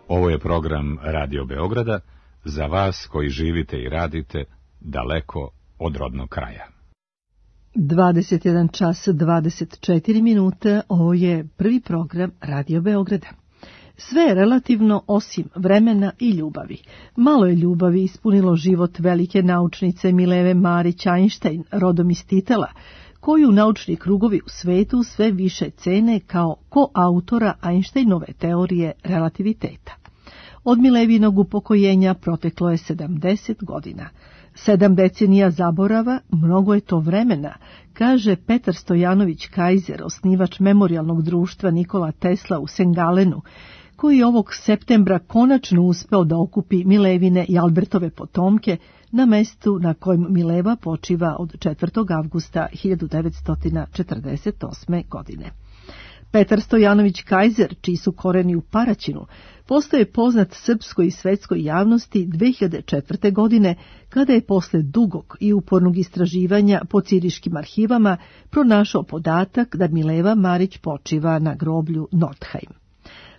Ovo je program Radio Beograda za vas koji živite i radite daleko od rodnog kraja. 21 čas 24 minuta, ovo je prvi program Radio Beograda. Sve je relativno osim vremena i ljubavi. Malo je ljubavi ispunilo život velike naučnice Mileve Marić Einstein, rodom iz Titela, koju naučni krugovi u svetu sve više cene kao koautora Einsteinove teorije relativiteta. Od Milevinog upokojenja proteklo je 70 godina. 7 decenija zaborava, mnogo je to vremena, kaže Petar Stojanović Kajzer, osnivač memorijalnog društva Nikola Tesla u Sengalenu, koji ovog septembra konačno uspeo da okupi Milevine i Albertove potomke na mestu na kojem Mileva počiva od 4. avgusta 1948. godine. Petar Stojanović Kajzer, čiji su koreni u Paraćinu, postaje poznat srpskoj i svetskoj javnosti 2004. godine, kada je posle dugog i upornog istraživanja po ciriškim arhivama pronašao podatak da Mileva Marić počiva na groblju Nordheim.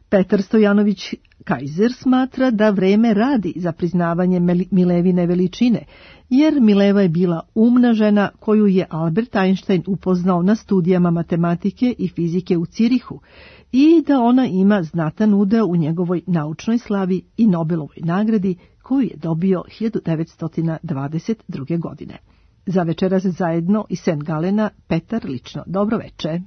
Petar Stojanović Kajzer smatra da vreme radi za priznavanje Milevine veličine, jer Mileva je bila umna žena koju je Albert Einstein upoznao na studijama matematike i fizike u Cirihu i da ona ima znatan udeo u njegovoj naučnoj slavi i Nobelovoj nagradi koju je dobio 1922. godine. Za večeras zajedno iz St. Galena, Petar lično. Dobro veče.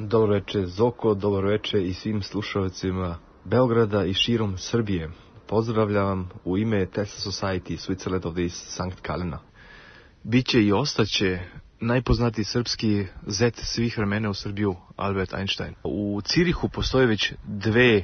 Dobro veče Zoko, dobro veče i svim slušalcima Beograda i širom Srbije. Pozdravljam u ime Tesla Society Switzerland of this St. Galena. Biće i ostaće najpoznatiji srpski zet svih vremena u Srbiju, Albert Einstein. U Cirihu postoje već 2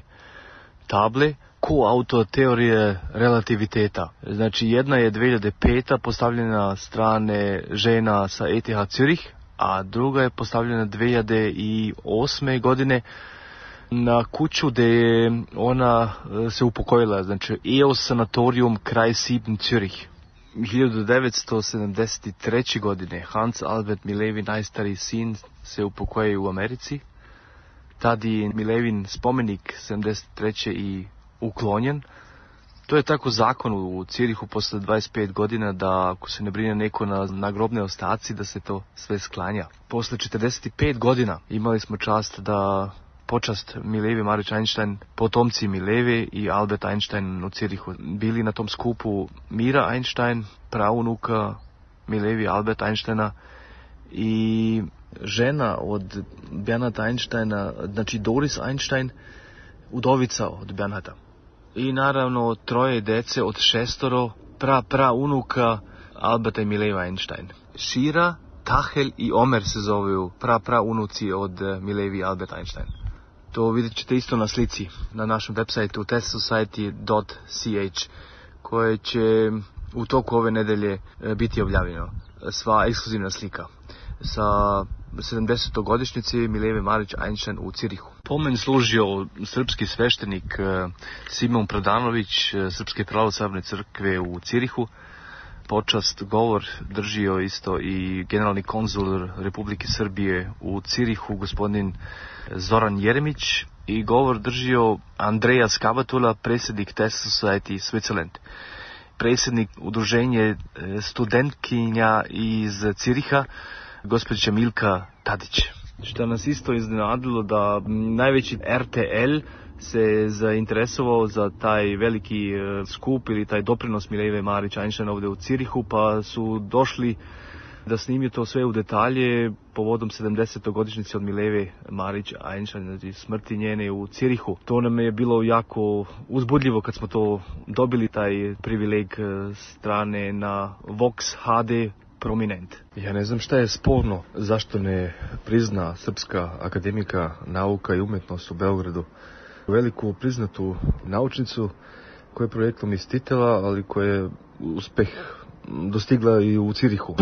table koautor teorije relativiteta. Znači jedna je 2005. postavljena na strane žena sa ETH Zürich, a druga je postavljena 2008. godine na kuću gde je ona se upokojila, znači EOS sanatorium kraj Sieben Zürich. 1973. godine Hans Albert Milevi, najstariji sin, se upokojio u Americi. Tad je Milevin spomenik 73. i uklonjen. To je tako zakon u Cirihu posle 25 godina da ako se ne brine neko na grobne ostaci da se to sve sklanja. Posle 45 godina imali smo čast da počast Milevi Marić Einstein, potomci Mileve i Albert Einstein u Cirihu bili na tom skupu Mira Einstein, praunuka Milevi Albert Einsteina i žena od Bernharda Einsteina, znači Doris Einstein, udovica od Bernharda. I naravno 3 dece od 6 praunuka Alberta i Mileva Einstein. Shira, Tahel i Omer se zovu praunuci od Milevi i Albert Einstein. To vidjet ćete isto na slici na našem websajtu testsociety.ch koje će u toku ove nedelje biti objavljeno. Sva ekskluzivna slika sa 70. godišnjice Mileve Marić Einstein u Cirihu. Pomen služio srpski sveštenik Simon Pradanović Srpske pravoslavne crkve u Cirihu. Počast govor držio isto i generalni konzul Republike Srbije u Cirihu, gospodin Zoran Jeremić, i govor držio Andreja Skabatula, predsjednik Tesla Society Switzerland, predsjednik udruženje studentkinja iz Ciriha, gospođa Milka Tadić. Što nas isto iznenadilo da najveći RTL se zainteresovao za taj veliki skup ili taj doprinos Mileve Marić Einstein ovdje u Cirihu, pa su došli da snimio to sve u detalje povodom 70. godišnjice od Mileve Marić Einstein, znači smrti njene u Cirihu. To nam je bilo jako uzbudljivo kad smo to dobili, taj privileg strane na Vox HD Prominent. Ja ne znam šta je sporno, zašto ne prizna Srpska akademika nauka i umjetnost u Beogradu veliku priznatu naučnicu koja je projektom iz Titela, ali koja je uspeh dostigla i u Cirihu.